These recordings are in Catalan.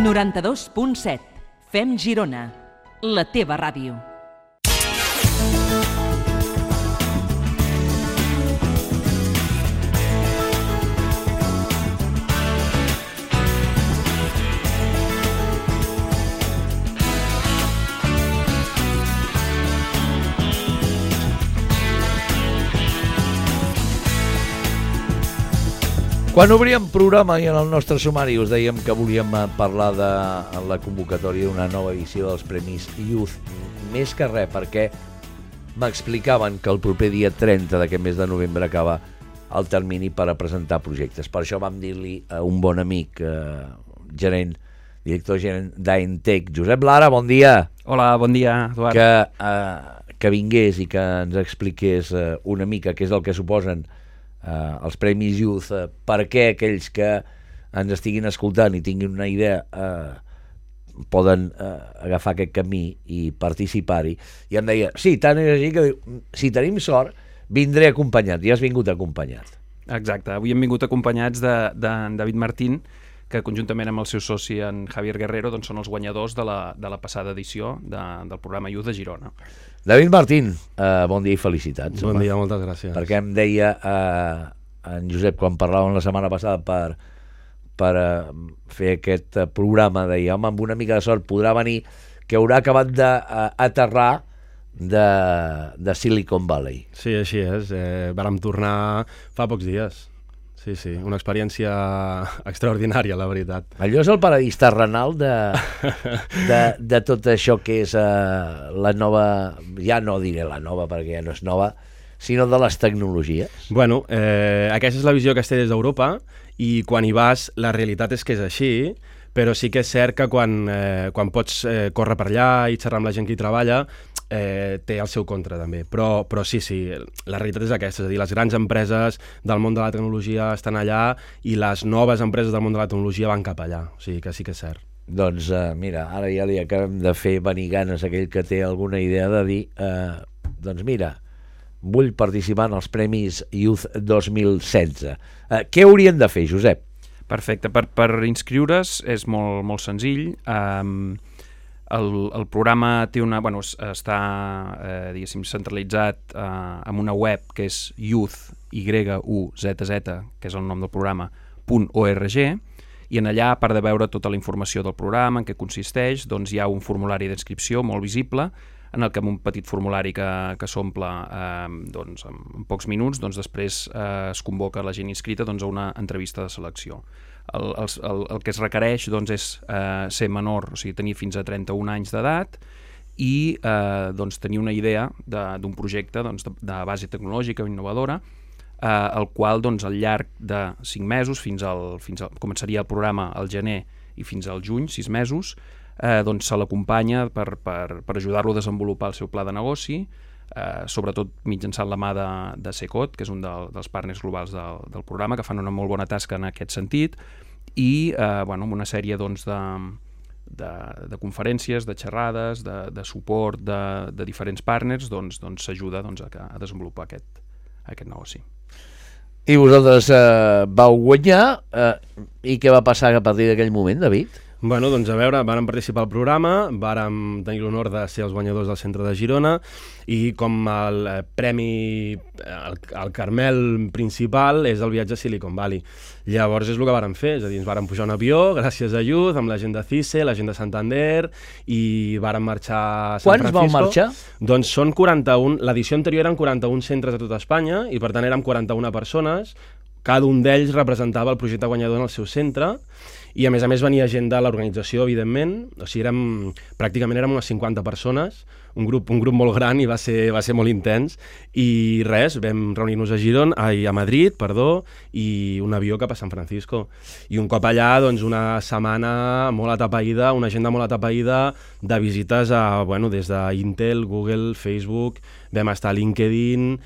92.7. Fem Girona, la teva ràdio. Quan obríem programa i en el nostre sumari us dèiem que volíem parlar de la convocatòria d'una nova edició dels Premis Youth, més que res perquè m'explicaven que el proper dia 30 d'aquest mes de novembre acaba el termini per a presentar projectes. Per això vam dir-li a un bon amic, director gerent d'Aentec, Josep Lara, bon dia. Hola, bon dia, Eduard. Que vingués i que ens expliqués una mica què és el que suposen els Premis Youth, perquè aquells que ens estiguin escoltant i tinguin una idea poden agafar aquest camí i participar-hi. I em deia, sí, tant és així que si tenim sort vindré acompanyat. I has vingut acompanyat. Exacte, avui hem vingut acompanyats de David Martín, que conjuntament amb el seu soci, en Javier Guerrero, doncs són els guanyadors de la passada edició del programa Youth de Girona. David Martín, bon dia i felicitats. Bon dia, moltes gràcies. Perquè em deia en Josep, quan parlàvem la setmana passada per fer aquest programa, deia, home, amb una mica de sort podrà venir, que haurà acabat d'aterrar de Silicon Valley. Sí, així és. Vàrem tornar fa pocs dies. Sí, una experiència extraordinària, la veritat. Allò és el paradís terrenal de tot això que és la nova, ja no diré la nova perquè ja no és nova, sinó de les tecnologies. Bueno, aquesta és la visió que es té des d'Europa i quan hi vas la realitat és que és així, però sí que és cert que quan pots córrer per allà i xerrar amb la gent que hi treballa, té el seu contra també, però sí, la realitat és aquesta, és a dir, les grans empreses del món de la tecnologia estan allà i les noves empreses del món de la tecnologia van cap allà, o sigui que sí que és cert. Doncs mira, ara ja li acabem de fer venir ganes aquell que té alguna idea de dir, doncs mira, vull participar en els Premis Youth 2016. Què haurien de fer, Josep? Perfecte, per inscriure's és molt, molt senzill. El programa té està diguéssim centralitzat en una web que és youth, que és el nom del programa, .org, i en allà, a part de veure tota la informació del programa, en què consisteix, doncs hi ha un formulari d'inscripció molt visible, en el que amb un petit formulari que s'omple doncs, en pocs minuts, doncs després es convoca la gent inscrita doncs, a una entrevista de selecció. El que es requereix doncs, és ser menor, o sigui, tenir fins a 31 anys d'edat i doncs, tenir una idea d'un projecte doncs, de base tecnològica o innovadora, el qual doncs, al llarg de 5 mesos, començaria el programa al gener i fins al juny, 6 mesos, doncs, se l'acompanya per ajudar-lo a desenvolupar el seu pla de negoci, sobretot mitjançant la mà de Secot, que és un dels partners globals del programa, que fan una molt bona tasca en aquest sentit, i amb una sèrie doncs, de conferències, de xerrades, de suport de diferents partners, doncs s'ajuda a desenvolupar aquest negoci. I vosaltres vau guanyar, i què va passar a partir d'aquell moment, David? Bueno, doncs a veure, vàrem participar al programa, vàrem tenir l'honor de ser els guanyadors del centre de Girona i com el premi, el caramel principal és el viatge a Silicon Valley. Llavors és el que vàrem fer, és a dir, ens vàrem pujar un avió gràcies a Youth, amb la gent de CICE, la gent de Santander i vàrem marxar a San Francisco. Quants vau marxar? Doncs són 41, l'edició anterior eren 41 centres a tot Espanya i per tant érem 41 persones, cada un d'ells representava el projecte guanyador en el seu centre i a més venia gent de l'organització, evidentment, o sigui, pràcticament érem unes 50 persones, un grup molt gran i va ser molt intens i res, vam reunir-nos a Madrid, i un avió cap a San Francisco i un cop allà, doncs una setmana molt atapeïda, una agenda molt atapeïda de visites des d'Intel, Google, Facebook, vam estar a LinkedIn,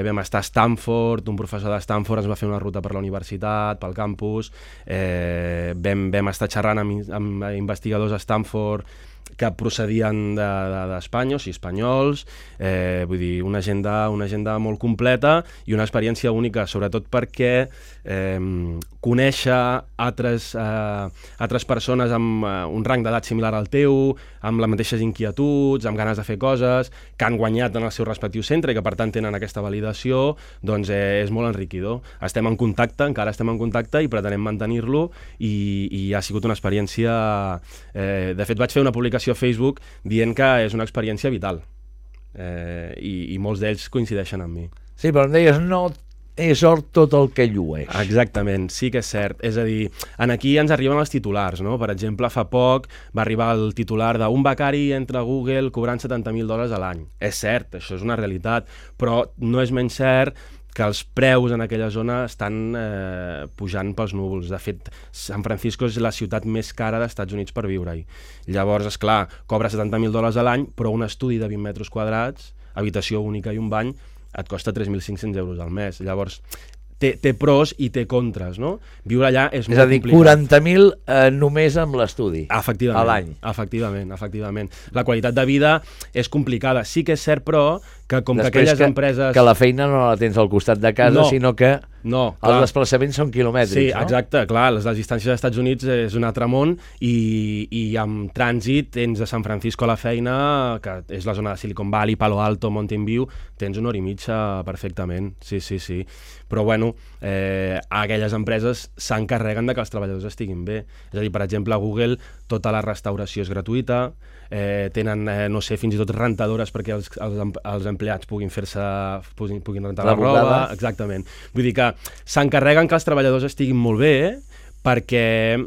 vam estar a Stanford, un professor de Stanford ens va fer una ruta per la universitat, pel campus, vam estar xerrant amb investigadors a Stanford que procedien d'Espanya, o sigui, espanyols, vull dir, una agenda molt completa i una experiència única, sobretot perquè conèixer altres persones amb un rang d'edat similar al teu, amb les mateixes inquietuds, amb ganes de fer coses, que han guanyat en el seu respectiu centre i que per tant tenen aquesta validació, doncs és molt enriquidor. Estem en contacte, encara estem en contacte i pretenem mantenir-lo i ha sigut una experiència... De fet, vaig fer una publicació a Facebook dient que és una experiència vital i molts d'ells coincideixen amb mi. Sí, però em deies, no és or tot el que llueix. Exactament, sí que és cert. És a dir, aquí ens arriben els titulars, no? Per exemple, fa poc va arribar el titular d'un becari entra a Google cobrant $70.000 a l'any. És cert, això és una realitat, però no és menys cert que els preus en aquella zona estan pujant pels núvols. De fet, San Francisco és la ciutat més cara dels Estats Units per viure-hi. Llavors, esclar, cobra $70.000 a l'any, però un estudi de 20 metres quadrats, habitació única i un bany, et costa 3.500 euros al mes. Llavors, té pros i té contres, no? Viure allà és molt complicat. És a dir, 40.000 només amb l'estudi a l'any. Efectivament. La qualitat de vida és complicada. Sí que és cert, però, que com que aquelles empreses... Que la feina no la tens al costat de casa, sinó que els desplaçaments són quilomètrics, sí, no? Exacte, clar, les distàncies als Estats Units és un altre món i amb trànsit tens de San Francisco a la feina, que és la zona de Silicon Valley, Palo Alto, Mountain View, tens una hora i mitja perfectament, sí. Però bueno, aquelles empreses s'encarreguen de que els treballadors estiguin bé. És a dir, per exemple, a Google tota la restauració és gratuïta, tenen, no sé, fins i tot rentadores perquè els empleats puguin rentar la roba. Exactament. Vull dir que s'encarreguen que els treballadors estiguin molt bé perquè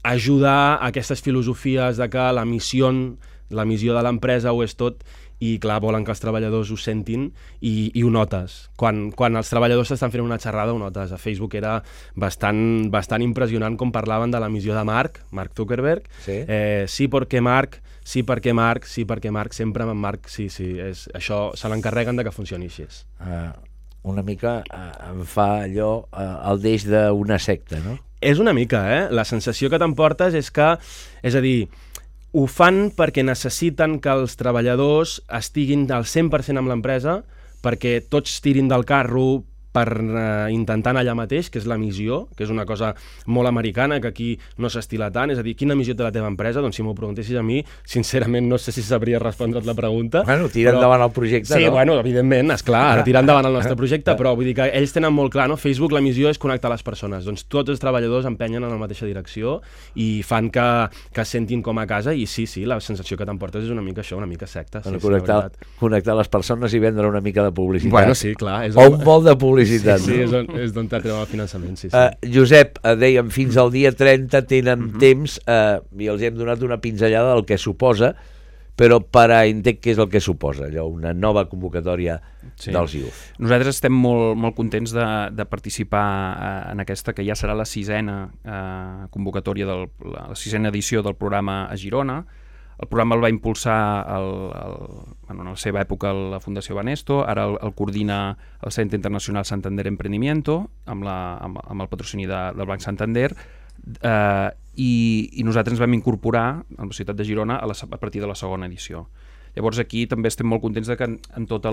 ajudar a aquestes filosofies de que la missió de l'empresa ho és tot i clar, volen que els treballadors ho sentin i ho notes. Quan els treballadors estan fent una xerrada ho notes. A Facebook era bastant impressionant com parlaven de la missió de Mark Zuckerberg. Sí, perquè Mark, sempre amb Mark, sí, això se l'encarreguen de que funcioni així. Una mica em fa allò el deix d'una secta, no? És una mica, La sensació que t'emportes és que, és a dir, ho fan perquè necessiten que els treballadors estiguin al 100% amb l'empresa, perquè tots tirin del carro per intentar anar allà mateix, que és la missió, que és una cosa molt americana, que aquí no s'estila tant. És a dir, quina missió té la teva empresa? Doncs si m'ho preguntessis a mi, sincerament no sé si sabria respondre't la pregunta. Bueno, tira endavant el projecte, sí, no? Bueno, evidentment, esclar, tirar endavant el nostre projecte, però vull dir que ells tenen molt clar, no? Facebook, la missió és connectar les persones. Doncs tots els treballadors empenyen en la mateixa direcció i fan que es sentin com a casa i sí, la sensació que t'emportes és una mica això, una mica secta. Connectar les persones i vendre una mica de publicitat. Bueno, sí, clar. O un vol de publicitat. Sí, és d'on t'atreu el finançament, sí. Josep, dèiem, fins al dia 30 tenen temps i els hem donat una pinzellada del que suposa, però per a entenc què és el que suposa, allò, una nova convocatòria dels Youth. Nosaltres estem molt contents de participar en aquesta, que ja serà la 6ena convocatòria, la 6ena edició del programa a Girona. El programa el va impulsar en la seva època la Fundació Banesto, ara el coordina el Centre Internacional Santander Emprendimiento amb el patrocini del Banc Santander i nosaltres ens vam incorporar a la ciutat de Girona a partir de la segona edició. Llavors aquí també estem molt contents de que en tot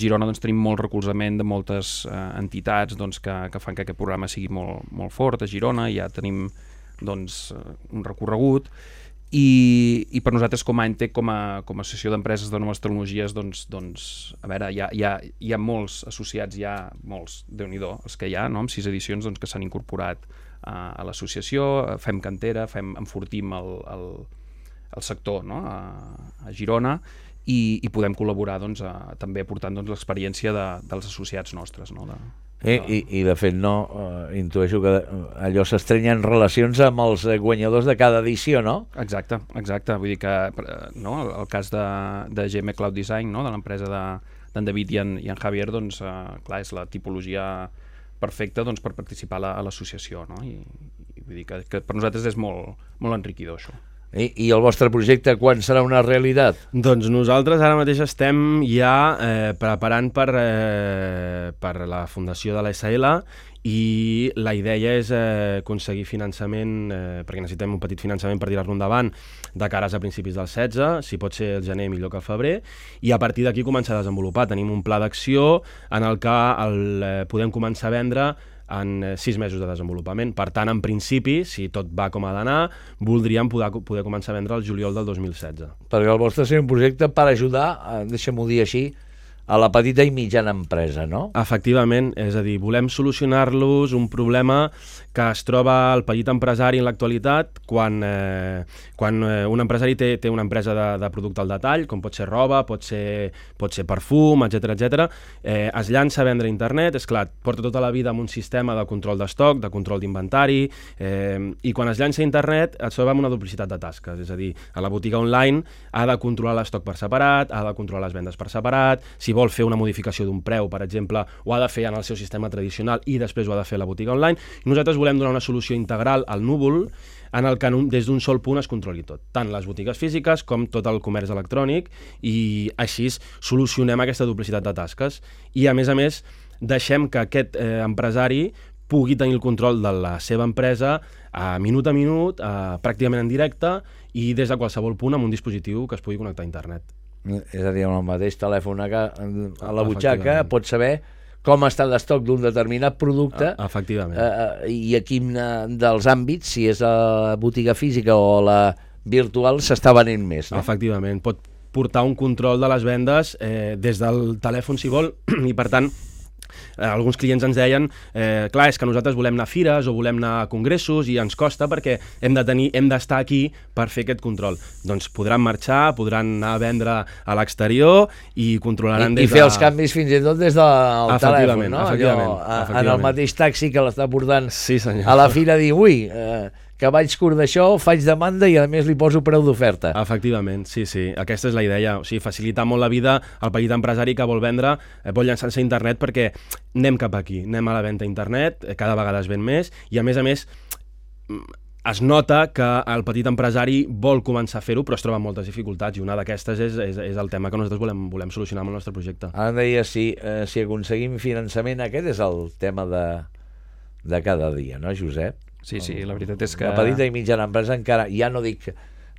Girona doncs, tenim molt recolzament de moltes entitats doncs, que fan que aquest programa sigui molt fort a Girona, ja tenim doncs, un recorregut. I per nosaltres com a ENTEC, com a associació d'empreses de noves tecnologies, doncs a veure, hi ha molts associats, molts, Déu-n'hi-do, els que hi ha, no? Amb 6 edicions doncs, que s'han incorporat a l'associació, fem cantera, enfortim el sector, no? A Girona i podem col·laborar doncs, també aportant doncs, l'experiència dels associats nostres, no? I de fet intueixo que allò s'estrenyen relacions amb els guanyadors de cada edició, no? Exacte, vull dir que el cas de GM Cloud Design, no? De l'empresa d'en David i en Javier, doncs clar, és la tipologia perfecta doncs, per participar a l'associació, no? I vull dir que per nosaltres és molt enriquidor això. I el vostre projecte quan serà una realitat? Doncs nosaltres ara mateix estem ja preparant per la fundació de la SL i la idea és aconseguir finançament, perquè necessitem un petit finançament per tirar-lo endavant de cares a principis del 16, si pot ser el gener millor que el febrer, i a partir d'aquí començar a desenvolupar. Tenim un pla d'acció en el que podem començar a vendre en 6 mesos de desenvolupament. Per tant, en principi, si tot va com ha d'anar, voldríem poder començar a vendre el juliol del 2016. Perquè el vostre és un projecte per ajudar, deixem-ho dir així, a la petita i mitjana empresa, no? Efectivament, és a dir, volem solucionar-los un problema que es troba el petit empresari en l'actualitat quan un empresari té una empresa de producte al detall, com pot ser roba, pot ser perfum, etc. Es llança a vendre a internet, és clar, porta tota la vida amb un sistema de control d'estoc, de control d'inventari, i quan es llança a internet es troba amb una duplicitat de tasques, és a dir, a la botiga online ha de controlar l'estoc per separat, ha de controlar les vendes per separat, si vol fer una modificació d'un preu, per exemple, ho ha de fer en el seu sistema tradicional i després ho ha de fer a la botiga online. I nosaltres volem donar una solució integral al núvol en el que des d'un sol punt es controli tot, tant les botigues físiques com tot el comerç electrònic, i així solucionem aquesta duplicitat de tasques. I a més, deixem que aquest empresari pugui tenir el control de la seva empresa a minut, pràcticament en directe i des de qualsevol punt amb un dispositiu que es pugui connectar a internet. És a dir, amb el mateix telèfon a la butxaca pots saber com està l'estoc d'un determinat producte. Efectivament. I a quin dels àmbits, si és a botiga física o a la virtual, s'està venent més, no? Efectivament. Pot portar un control de les vendes des del telèfon, si vol, i per tant alguns clients ens deien clar, és que nosaltres volem anar a fires o volem anar a congressos i ens costa perquè hem d'estar aquí per fer aquest control. Doncs podran marxar, podran anar a vendre a l'exterior i controlaran I fer els canvis fins i tot des del telèfon, no? Efectivament. En el mateix taxi que l'està portant sí, a la fira, dir, ui, que vaig curt d'això, faig demanda i a més li poso preu d'oferta. Efectivament, sí. Aquesta és la idea. O sigui, facilitar molt la vida al petit empresari que vol vendre, vol llançar-se a internet, perquè anem cap aquí, anem a la venda a internet, cada vegada es ven més, i a més es nota que el petit empresari vol començar a fer-ho, però es troba amb moltes dificultats, i una d'aquestes és el tema que nosaltres volem solucionar amb el nostre projecte. Ara em deia, si aconseguim finançament, aquest és el tema de cada dia, no, Josep? Sí, la veritat és que... La petita i mitjana empresa encara, ja no dic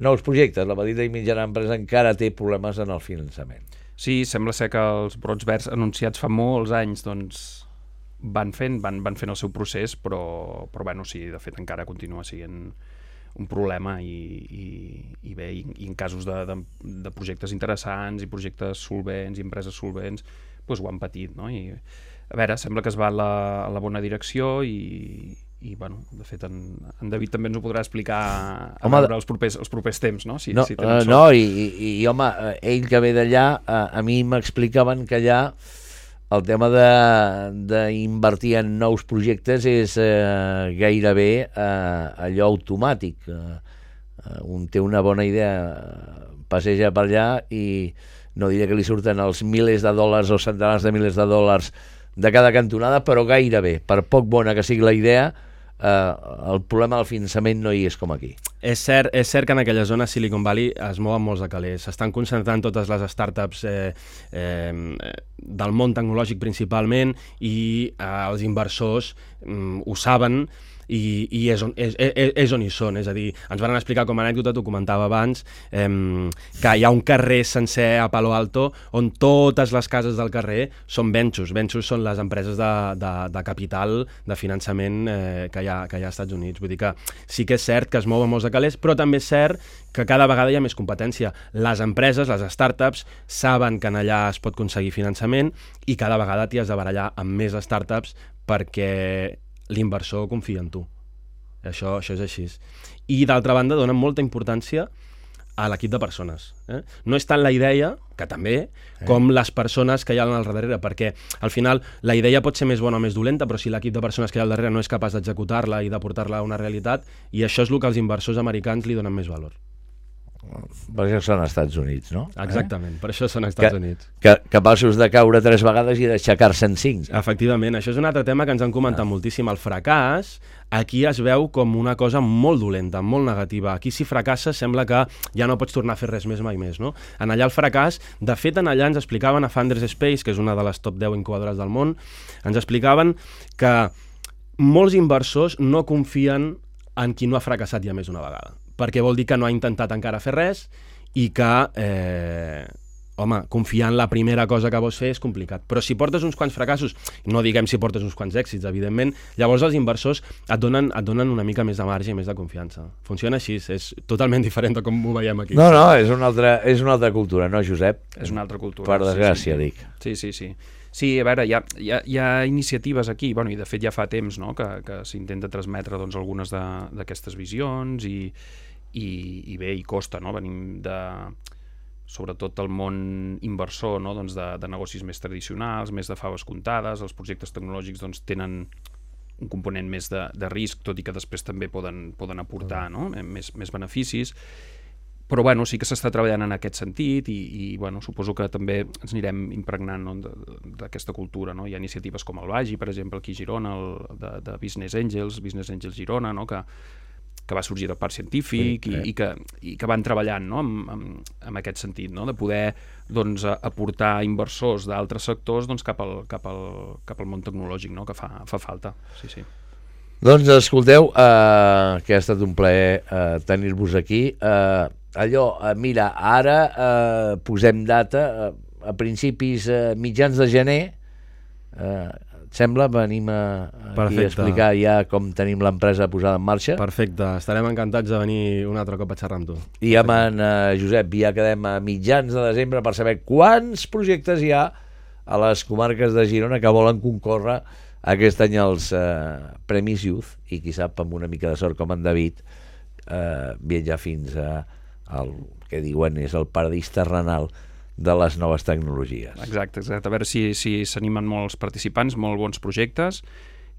nous projectes, la petita i mitjana empresa encara té problemes en el finançament. Sí, sembla ser que els brots verds anunciats fa molts anys doncs, van fent el seu procés, però bueno, sí, de fet encara continua sent un problema i bé, i en casos de projectes interessants i projectes solvents i empreses solvents, doncs ho han patit, no? I a veure, sembla que es va a la bona direcció i bueno, de fet en David també ens ho podrà explicar els propers temps, no? Si I home, ell que ve d'allà, a mi m'explicaven que allà el tema d'invertir en nous projectes és gairebé allò automàtic. Un té una bona idea, passeja per allà i no diré que li surten els milers de dòlars o centenars de milers de dòlars de cada cantonada, però gairebé, per poc bona que sigui la idea, el problema del finançament no hi és com aquí. És cert que en aquella zona Silicon Valley es mouen molts de calés. S'estan concentrant totes les startups del món tecnològic principalment, i els inversors ho saben, i és on hi són. És a dir, ens van explicar com a anècdota, t'ho comentava abans, que hi ha un carrer sencer a Palo Alto on totes les cases del carrer són ventures. Ventures són les empreses de capital, de finançament que hi ha als Estats Units. Vull dir que sí que és cert que es mouen molts de calés, però també és cert que cada vegada hi ha més competència. Les empreses, les startups, saben que en allà es pot aconseguir finançament i cada vegada t'hi has de barallar amb més startups perquè l'inversor confia en tu. Això és així. I d'altra banda donen molta importància a l'equip de persones. No és tant la idea, que també, com les persones que hi ha al darrere, perquè al final la idea pot ser més bona o més dolenta, però si l'equip de persones que hi ha al darrere no és capaç d'executar-la i de portar-la a una realitat, i això és el que els inversors americans li donen més valor. Per això són als Estats Units, no? Exactament, per això són als Estats Units. Capaços de caure 3 vegades i d'aixecar-se en 5. Efectivament, això és un altre tema que ens han comentat moltíssim. El fracàs aquí es veu com una cosa molt dolenta, molt negativa. Aquí si fracasses sembla que ja no pots tornar a fer res més mai més, no? En allà el fracàs, de fet en allà ens explicaven a Founders Space, que és una de les top 10 incubadores del món, ens explicaven que molts inversors no confien en qui no ha fracassat ja més d'una vegada, perquè vol dir que no ha intentat encara fer res i que, confiar en la primera cosa que vols fer és complicat. Però si portes uns quants fracassos, no diguem si portes uns quants èxits, evidentment, llavors els inversors et donen una mica més de marge i més de confiança. Funciona així, és totalment diferent de com ho veiem aquí. No, és una altra cultura, no, Josep? És una altra cultura. Per desgràcia, dic. Sí. Sí, a veure, hi ha iniciatives aquí, bueno, i de fet ja fa temps, no?, que s'intenta transmetre doncs, algunes d'aquestes visions i bé, i costa, no? Venim sobretot del món inversor, no? Doncs de negocis més tradicionals, més de faves comptades, els projectes tecnològics doncs, tenen un component més de risc, tot i que després també poden aportar, no? més beneficis. Però bueno, sí que s'està treballant en aquest sentit i bueno, suposo que també ens anirem impregnant, no, d'aquesta cultura, no? Hi ha iniciatives com el Vagi, per exemple, aquí a Girona, de Business Angels Girona, no? que va sorgir del Parc Científic i que van treballant, no? en aquest sentit, no? De poder doncs, aportar inversors d'altres sectors doncs, cap al món tecnològic, no? Que fa falta. Sí. Doncs escolteu, que ha estat un plaer tenir-vos aquí. Mira, ara posem data a principis, mitjans de gener, et sembla? Venim aquí a explicar ja com tenim l'empresa posada en marxa. Perfecte, estarem encantats de venir un altre cop a xerrar amb tu. I amb en Josep ja quedem a mitjans de desembre per saber quants projectes hi ha a les comarques de Girona que volen concórrer aquest any als Premis Youth i qui sap, amb una mica de sort com en David, viatjar fins al que diuen és el paradís terrenal de les noves tecnologies. Exacte. A veure si s'animen molts participants, molts bons projectes,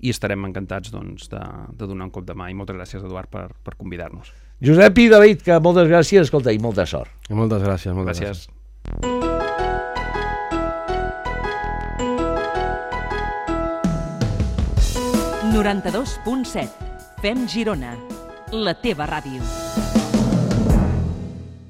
i estarem encantats doncs, de donar un cop de mà. I moltes gràcies, Eduard, per convidar-nos. Josep i David, que moltes gràcies, escolta, i molta sort. I moltes gràcies. Gràcies. 92.7. Fem Girona, la teva ràdio.